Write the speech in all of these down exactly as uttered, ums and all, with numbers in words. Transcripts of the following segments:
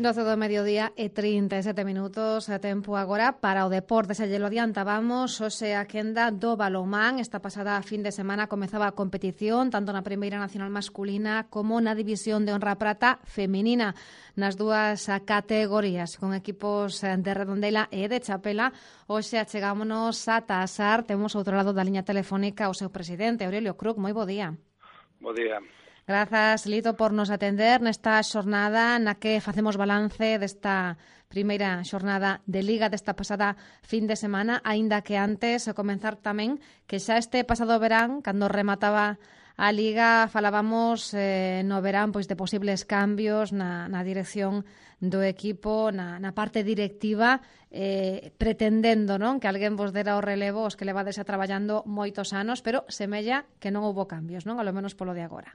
doce do mediodía e trinta e sete minutos a tempo agora para o deporte. Se lle lo adiantábamos, hoxe a quenda do balonmán. Esta pasada fin de semana comezaba a competición tanto na Primeira Nacional masculina como na División de Honra Prata feminina, nas dúas categorías, con equipos de Redondela e de Chapela. Hoxe achegámonos a Tasar. Temos outro lado da liña telefónica o seu presidente, Aurelio Cruz. Moi bo día. Bo día. Grazas, Lito, por nos atender nesta xornada na que facemos balance desta primeira xornada de Liga desta pasada fin de semana, aínda que antes de comenzar tamén que xa este pasado verán, cando remataba a Liga, falábamos eh, no verán pois de posibles cambios na, na dirección do equipo, na, na parte directiva, eh, pretendendo non que alguén vos dera o relevo os que levades a traballando moitos anos, pero semella que non houbo cambios, non? A lo menos polo de agora.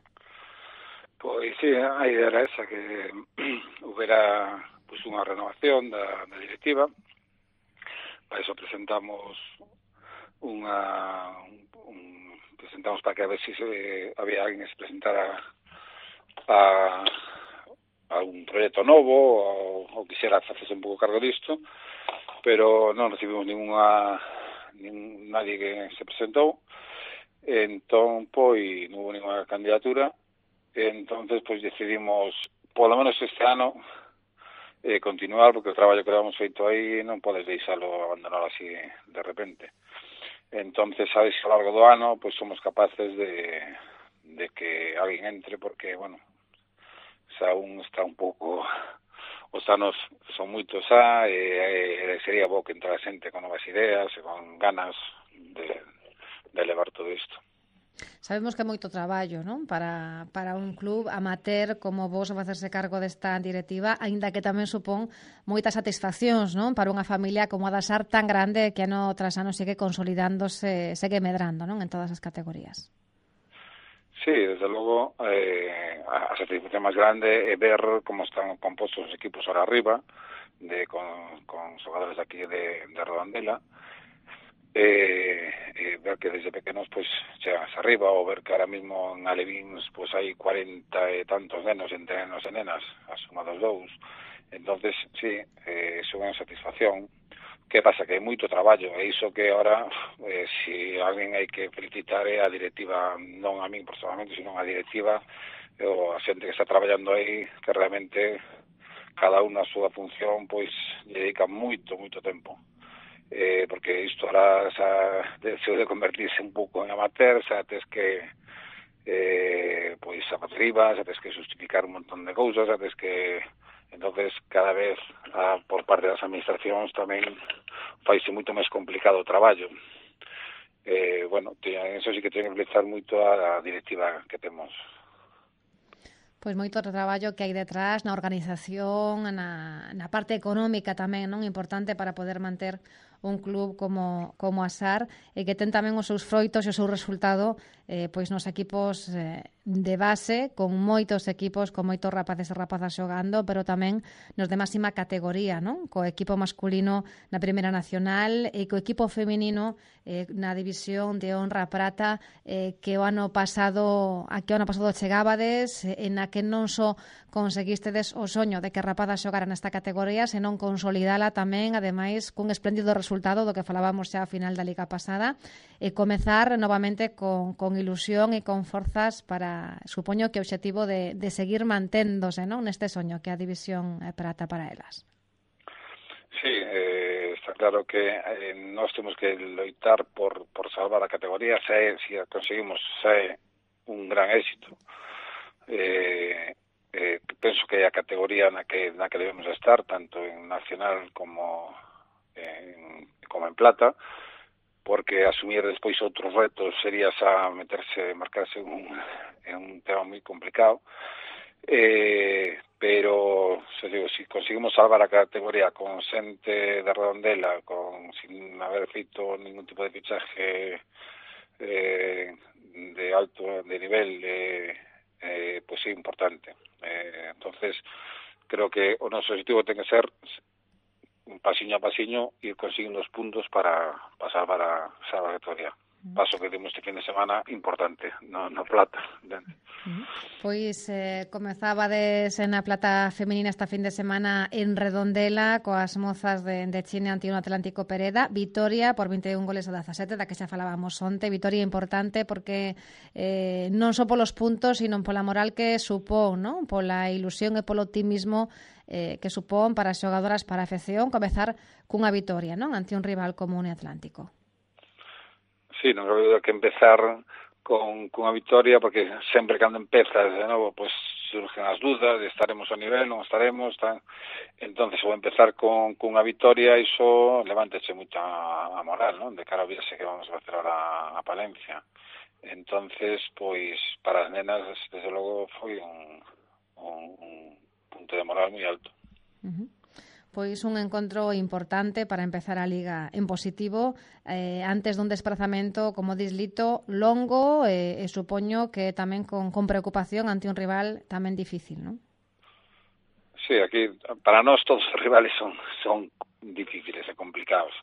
Pois sí, a idea era esa, que houbera pues, unha renovación da, da directiva. Para eso presentamos unha un, presentamos para que a ver si se, había alguén que se presentara a, a un proxecto novo ou, ou quixera facerse un pouco cargo disto, pero non recibimos ninguna nin, nadie que se presentou. Entón, pois, non houve ninguna candidatura. Entonces, pues decidimos, por lo menos este ano, eh, continuar, porque o traballo que habíamos feito aí non podes deixalo abandonar así de repente. Entonces, sabes que ao largo do ano, pues somos capaces de, de que alguén entre, porque, bueno, xa un está un pouco, os anos son moitos xa, e, e sería bo que entrara xente con novas ideas e con ganas de, de levar todo isto. Sabemos que é moito traballo, non? Para, para un club amateur como vos facerse cargo desta directiva, aínda que tamén supón moitas satisfaccións, non? Para unha familia como a da Sar tan grande que ano tras ano sigue consolidándose, segue medrando, non? En todas as categorías. Sí, desde logo, eh, a satisfacción máis grande é ver como están compostos os equipos ahora arriba, de, con, con xogadores aquí de, de Redondela, Eh, eh, ver que desde pequenos pues chegas arriba, ou ver que ahora mismo en Alevins pues hai cuarenta e tantos nenos entre nenos e nenas, asumados dous. Entonces, sí, eh, é unha satisfacción. Que pasa? Que hai moito traballo, e iso que ahora, eh, si alguén hai que felicitar é a directiva, non a min personalmente, sino a directiva, ou a xente que está traballando aí, que realmente cada unha a súa función, pois, dedica moito, moito tempo. Eh, porque isto ahora xa deseo de convertirse un pouco en amateur, xa tes que eh, pois a arriba, xa tes que justificar un montón de cousas, xa tes que entonces cada vez a, por parte das administracións tamén faise moito máis complicado o traballo. Eh, bueno, eso sí que ten que felicitar moito a, a directiva que temos. Pois moito traballo que hai detrás na organización, na, na parte económica tamén, non? Importante para poder manter un club como, como a Sar, e que ten tamén os seus froitos e o seu resultado eh, pois nos equipos eh, de base, con moitos equipos, con moitos rapaces e rapazas xogando, pero tamén nos de máxima categoría, non? Co equipo masculino na Primeira Nacional e co equipo feminino eh, na División de Honra Prata, eh, que o ano pasado, a que o ano pasado chegábades, eh, en a que non só conseguistedes o soño de que rapazas xogaran nesta categoría, senón consolidala tamén, ademais, cun espléndido resultado do que falábamos xa a final da Liga pasada, e comezar novamente con, con ilusión e con forzas para, supoño que o obxectivo de, de seguir manténdose, non? Neste soño que a División Prata para elas. Sí, eh, está claro que eh, nós temos que loitar por, por salvar a categoría, se, se conseguimos xa é un gran éxito. Eh, eh, penso que é a categoría na que, na que debemos estar, tanto en nacional como en, como en plata, porque asumir despois outros retos sería xa meterse, marcarse un, en un tema moi complicado. Eh, pero se digo, si conseguimos salvar a categoría con xente de Redondela, con, sin haber feito ningún tipo de fichaje eh, de alto de nivel, eh, eh, pues é importante. Eh, entonces, creo que o noso objetivo ten que ser un pasiño a pasiño ir consiguiendo os puntos para, para salvar a salvar a categoría. paso que temos este fin de semana importante no, no Plata. Uh-huh. Pois eh, comezabades na Plata feminina esta fin de semana en Redondela coas mozas de, de Chine ante un Atlántico Pereda, vitoria por vinte e un goles a dezasete, da que xa falábamos onte, vitoria importante porque eh, non só polos puntos, sino pola moral que supón, non? Pola ilusión e polo optimismo eh, que supón para as xogadoras, para a afección, comezar cunha vitoria, non? Ante un rival como un Atlántico. Sí, non creo que empezar con cunha vitoria, porque sempre cando empezas de novo, pois surgen as dúdas de estaremos ao nivel, non estaremos, tan... entonces vou empezar con cunha vitoria, iso levántese moita a moral, non? De cara ao viaxe que vamos a facer ahora a Palencia. Entonces, pois, para as nenas, desde logo, foi un, un, un punto de moral moi alto. Uh-huh. Pois un encontro importante para empezar a Liga en positivo eh, antes dun desplazamento, como dislito, longo e, e supoño que tamén con, con preocupación ante un rival tamén difícil, non? Sí, aquí para nós todos os rivales son son difíciles e complicados.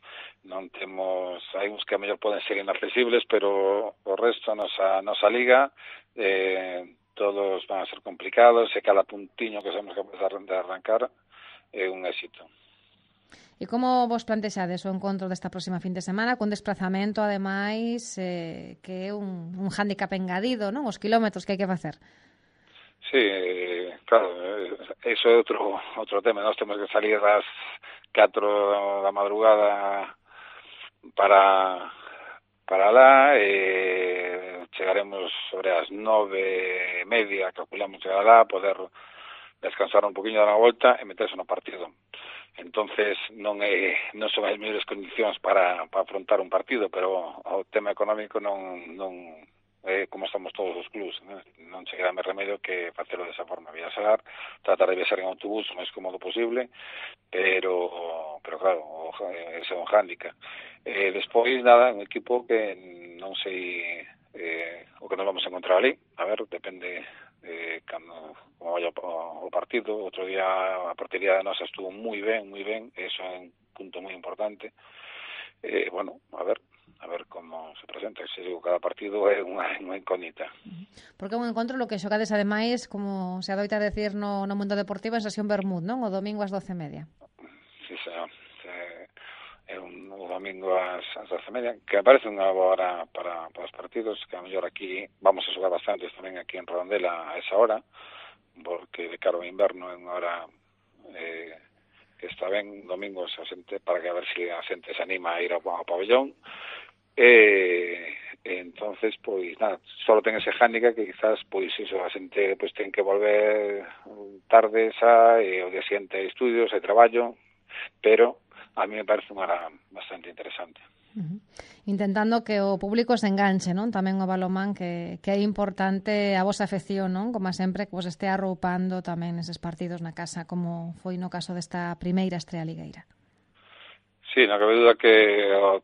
Non temos, hai uns que a mellor poden ser inaccesibles, pero o resto, a nosa, nosa Liga, eh, todos van a ser complicados e cada puntiño que somos capaces de arrancar é un éxito. E como vos plantexades o encontro desta próxima fin de semana con desplazamento, ademais, eh, que é un, un hándicap engadido, non? Os kilómetros que hai que facer. Sí, claro, eso é outro outro tema. Nós temos que salir das catro da madrugada para para lá e chegaremos sobre as nove e media, calculamos chegar lá, poder descansar un poquinho da volta e meterse no partido. Entonces non é non son as mellores condicións para para afrontar un partido, pero o tema económico non non é como estamos todos os clubs, non, non se queda máis remedio que facelo desa forma, viaxar, tratar de viaxar en autobús o máis cómodo posible, pero pero claro, ese é un hándicap. Eh, despois, nada, un equipo que non sei eh, o que nos vamos a encontrar ali, a ver, depende eh, cando como vaya o, o partido. Outro día a portería de nosa estuvo moi ben, moi ben, eso é un punto moi importante. Eh, bueno, a ver, a ver como se presenta, se digo, cada partido é unha, unha incógnita. Porque é un encontro lo que xogades ademais, como se adoita decir no, no mundo deportivo, en sesión Bermud, non? O domingo ás doce e media. Sí, señor. É un, o domingo ás, ás doce e media, que me parece unha boa hora para, para os partidos, que a mellor aquí vamos a xogar bastantes tamén aquí en Redondela a esa hora, porque de cara ao inverno é unha hora eh, que está ben domingos a xente, para que a ver se a xente se anima a ir ao, ao pabellón. E, e entonces, pois, nada, só ten ese hándicap que quizás, pois, iso, a xente pois, ten que volver tarde xa, e o día siguiente hai estudios, hai traballo, pero a mí me parece unha hora bastante interesante. Uh-huh. Intentando que o público se enganche, non? Tamén o balomán, que, que é importante a vosa afección, non? Como sempre, que vos este arroupando tamén eses partidos na casa, como foi no caso desta primeira estrea ligueira. Sí, non cabe duda que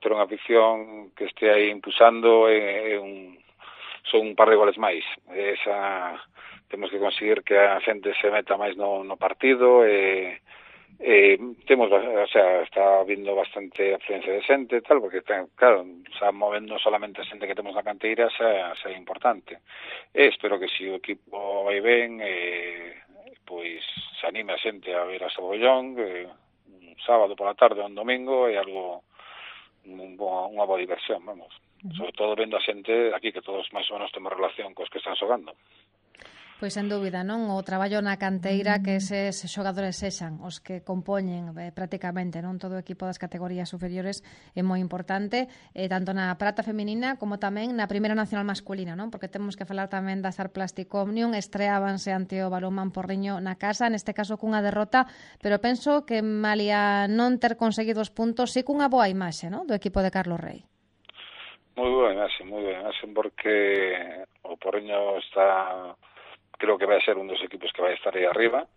ter unha afición que este aí impulsando é, é un, son un par de goles máis. Esa, temos que conseguir que a xente se meta máis no, no partido e Eh, temos, o sea, está vindo bastante afluencia de xente tal, porque ten, claro, xa movendo solamente a xente que temos na canteira xa, xa é importante. E espero que se o equipo vai ben, eh, pois se anime a xente a ver a Sabollón, que un sábado pola tarde ou un domingo é algo un bo, unha boa diversión, vamos. Uh-huh. Sobre todo vendo a xente aquí, que todos máis ou menos temos relación cos que están xogando. Pois sen dúbida, non? O traballo na canteira que eses xogadores sexan os que compoñen eh, prácticamente, non? Todo o equipo das categorías superiores é moi importante, eh, tanto na prata feminina como tamén na primeira nacional masculina, non? Porque temos que falar tamén da Sar Plastic Omnium, estreábanse ante o Balonmán Porriño na casa, neste caso cunha derrota, pero penso que malia non ter conseguido os puntos, sí cunha boa imaxe, non? Do equipo de Carlos Rey. Moi boa imaxe, moi boa imaxe, porque o Porriño está... creo que vai ser un dos equipos que vai estar aí arriba,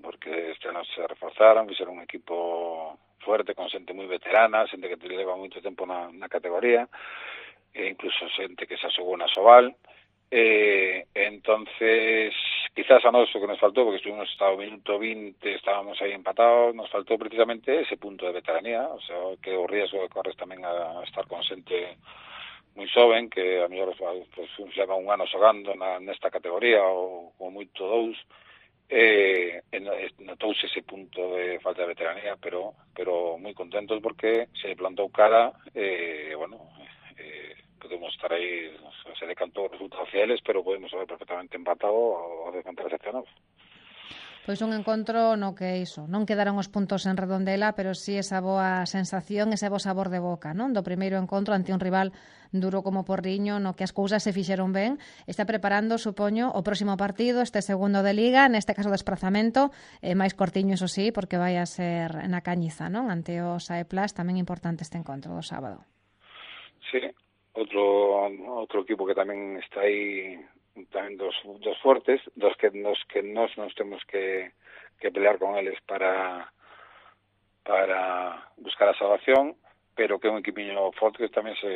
porque este ano se reforzaron, vai ser un equipo fuerte, con xente moi veterana, xente que leva moito tempo na, na categoría, e incluso xente que se xogou na Sobal, e entonces, quizás a nós o que nos faltou, porque estuvimos hasta o minuto vinte, estábamos aí empatados, nos faltou precisamente ese punto de veteranía, o sea, que o riesgo de corres tamén a estar con xente moi xoven, que a mellor pues, leva un ano xogando na, nesta categoría, ou como moito dous, eh, notouse ese punto de falta de veteranía, pero pero moi contentos porque se plantou cara, eh, bueno, eh, podemos estar aí, se decantou resultados fieles, pero podemos haber perfectamente empatado ou decantar excepcionados. Pois un encontro no que iso, non quedaron os puntos en Redondela, pero sí esa boa sensación, ese bo sabor de boca, non? Do primeiro encontro ante un rival duro como Porriño, no que as cousas se fixeron ben. Está preparando, supoño, o próximo partido, este segundo de Liga, neste caso desplazamento, eh, máis cortiño, iso sí, porque vai a ser na Cañiza, non? Ante o Saeplas, tamén importante este encontro do sábado. Sí, outro outro equipo que tamén está aí, tamén dos, dos fuertes, dos que nos que nos nos temos que, que pelear con eles para para buscar a salvación, pero que é un equipiño forte que tamén se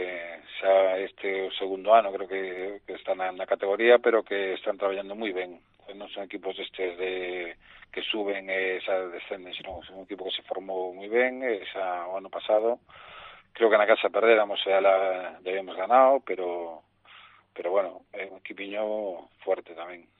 xa este o segundo ano, creo que, que está na, na categoría, pero que están traballando moi ben. Non son equipos estes de que suben e xa descenden, sino son un equipo que se formou moi ben, e xa o ano pasado creo que na casa perdéramos e la debemos ganado, pero pero bueno, é un equipiño fuerte tamén.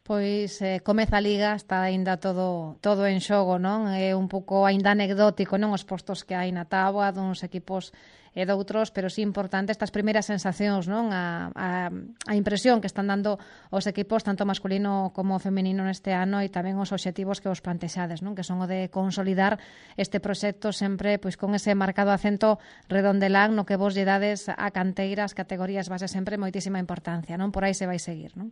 Pois eh, comeza a Liga, está aínda todo todo en xogo, non? É un pouco aínda anecdótico, non? Os postos que hai na táboa duns equipos e doutros, pero sí importante estas primeiras sensacións, non? A, a, a impresión que están dando os equipos, tanto masculino como feminino neste ano, e tamén os obxectivos que os plantexades, non? Que son o de consolidar este proxecto sempre pois con ese marcado acento redondelán no que vos lle dades a canteira, as categorías base sempre moitísima importancia, non? Por aí se vai seguir, non?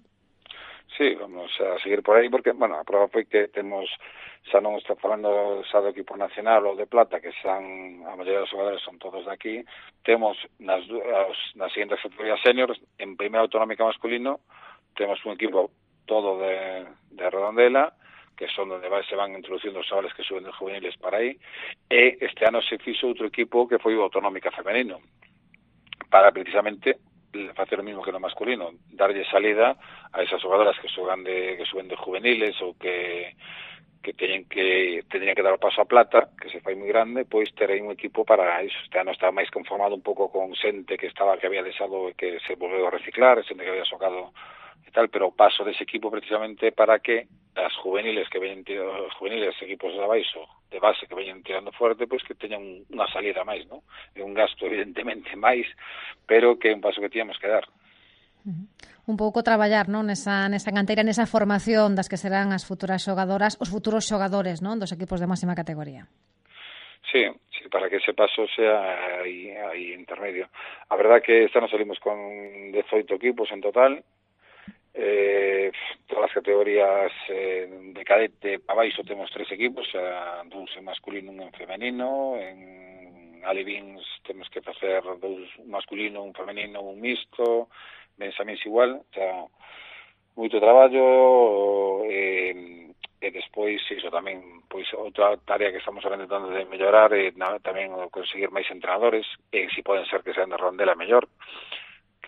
Sí, vamos a seguir por aí, porque, bueno, a prova foi que temos, xa non está falando xa do equipo nacional ou de plata, que xan, a maioría dos xogadores son todos de aquí, temos nas, nas siguientes categorías seniors, en primeira autonómica masculino, temos un equipo todo de, de Redondela, que son onde vai, se van introducindo os xogadores que suben de juveniles para aí, e este ano se fixo outro equipo que foi o autonómica femenino, para precisamente facer o mismo que no masculino, darlle salida a esas xogadoras que xogan de que suben de juveniles ou que que teñen que teñen que dar o paso a plata, que se fai moi grande, pois ter aí un equipo para iso. Este ano está máis conformado un pouco con xente que estaba que había deixado e que se volveu a reciclar, xente que había xogado e tal, pero o paso dese equipo precisamente para que as juveniles que veñen tirando, os juveniles equipos de abaixo, de base que veñen tirando fuerte, pois que teñan unha salida máis, non? É un gasto evidentemente máis, pero que é un paso que tíamos que dar. Uh-huh. Un pouco traballar, non, nesa nesa canteira, nesa formación das que serán as futuras xogadoras, os futuros xogadores, non, dos equipos de máxima categoría. Sí, sí, para que ese paso sea aí, aí intermedio. A verdad que este ano salimos con dezoito equipos en total. Eh, todas as categorías eh, de cadete para baixo temos tres equipos, a, dous en masculino, un en femenino. En alevins temos que facer dous, un masculino, un femenino, un mixto. Benxamíns igual, xa, moito traballo, e, e despois iso tamén, pois outra tarea que estamos intentando de mellorar é na, tamén conseguir máis entrenadores, e si poden ser que sean de Redondela mellor.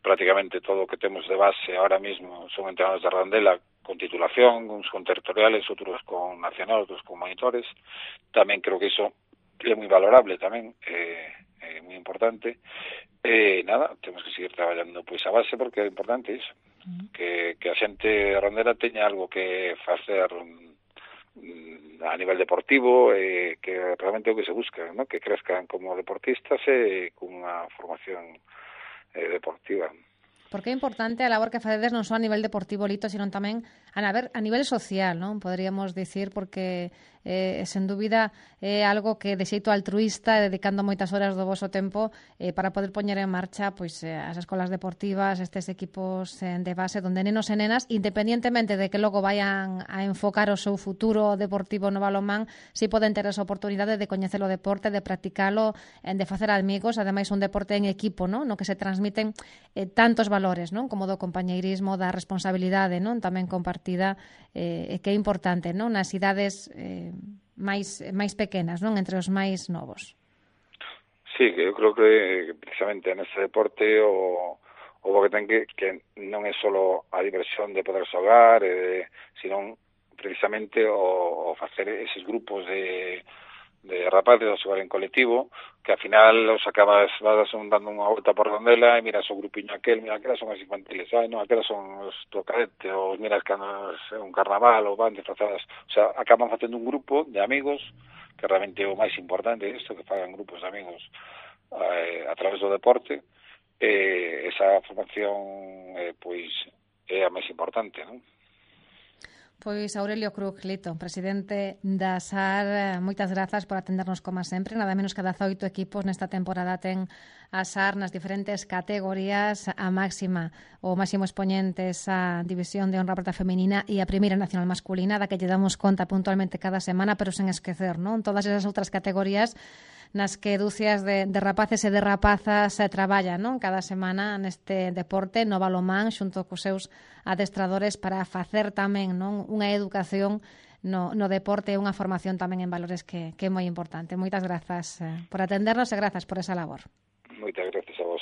Prácticamente todo o que temos de base ahora mismo son entrenadores de Redondela con titulación, uns con territoriales, outros con nacional, outros con monitores. Tamén creo que iso é moi valorable tamén, é, é moi importante. E nada, temos que seguir traballando pois a base, porque é importante iso, uh-huh. que, que a xente de Redondela teña algo que facer mm, a nivel deportivo, e que realmente é o que se busca, ¿no? Que crezcan como deportistas e cunha formación Eh, deportiva. Porque é importante a labor que facedes non só a nivel deportivo, Lito, sino tamén a, a nivel social, non? Poderíamos dicir, porque eh, sen dúbida é algo que de xeito altruista, dedicando moitas horas do voso tempo eh, para poder poñer en marcha pois eh, as escolas deportivas, estes equipos eh, de base donde nenos e nenas, independientemente de que logo vayan a enfocar o seu futuro deportivo no balonmán, si poden ter esa oportunidade de coñecer o deporte, de practicalo, de facer amigos, ademais un deporte en equipo, non? No que se transmiten eh, tantos valores, non? Como do compañeirismo, da responsabilidade, non? Tamén compartida, eh, que é importante, non? Nas idades eh, máis máis pequenas, non? Entre os máis novos. Sí, que eu creo que precisamente nese deporte o, o que ten que, que non é só a diversión de poder xogar, eh, sino precisamente o, o facer eses grupos de de rapaces a xogar en colectivo, que ao final os acabas vas dando unha volta por Redondela e miras o grupiño aquel, mira, aquelas son as infantiles, ah, non, aquelas son os do cadete, ou miras que é un carnaval, ou van disfrazadas, o sea, acaban facendo un grupo de amigos, que realmente é o máis importante isto, que fagan grupos de amigos eh, a través do deporte, e esa formación, eh, pois, é a máis importante, non? Pois Aurelio Cruz Lito, presidente da S A R, moitas grazas por atendernos como sempre. Nada menos que dezaoito equipos nesta temporada ten a S A R nas diferentes categorías, a máxima, o máximo expoñente esa división de honra prata feminina e a primeira nacional masculina, da que lle damos conta puntualmente cada semana, pero sen esquecer, non? Todas esas outras categorías nas que dúcias de, de rapaces e de rapazas se traballan, non? Cada semana neste deporte no balomán xunto cos seus adestradores para facer tamén, non, unha educación no, no deporte e unha formación tamén en valores que, que é moi importante. Moitas grazas eh, por atendernos e grazas por esa labor. Moitas grazas a vos.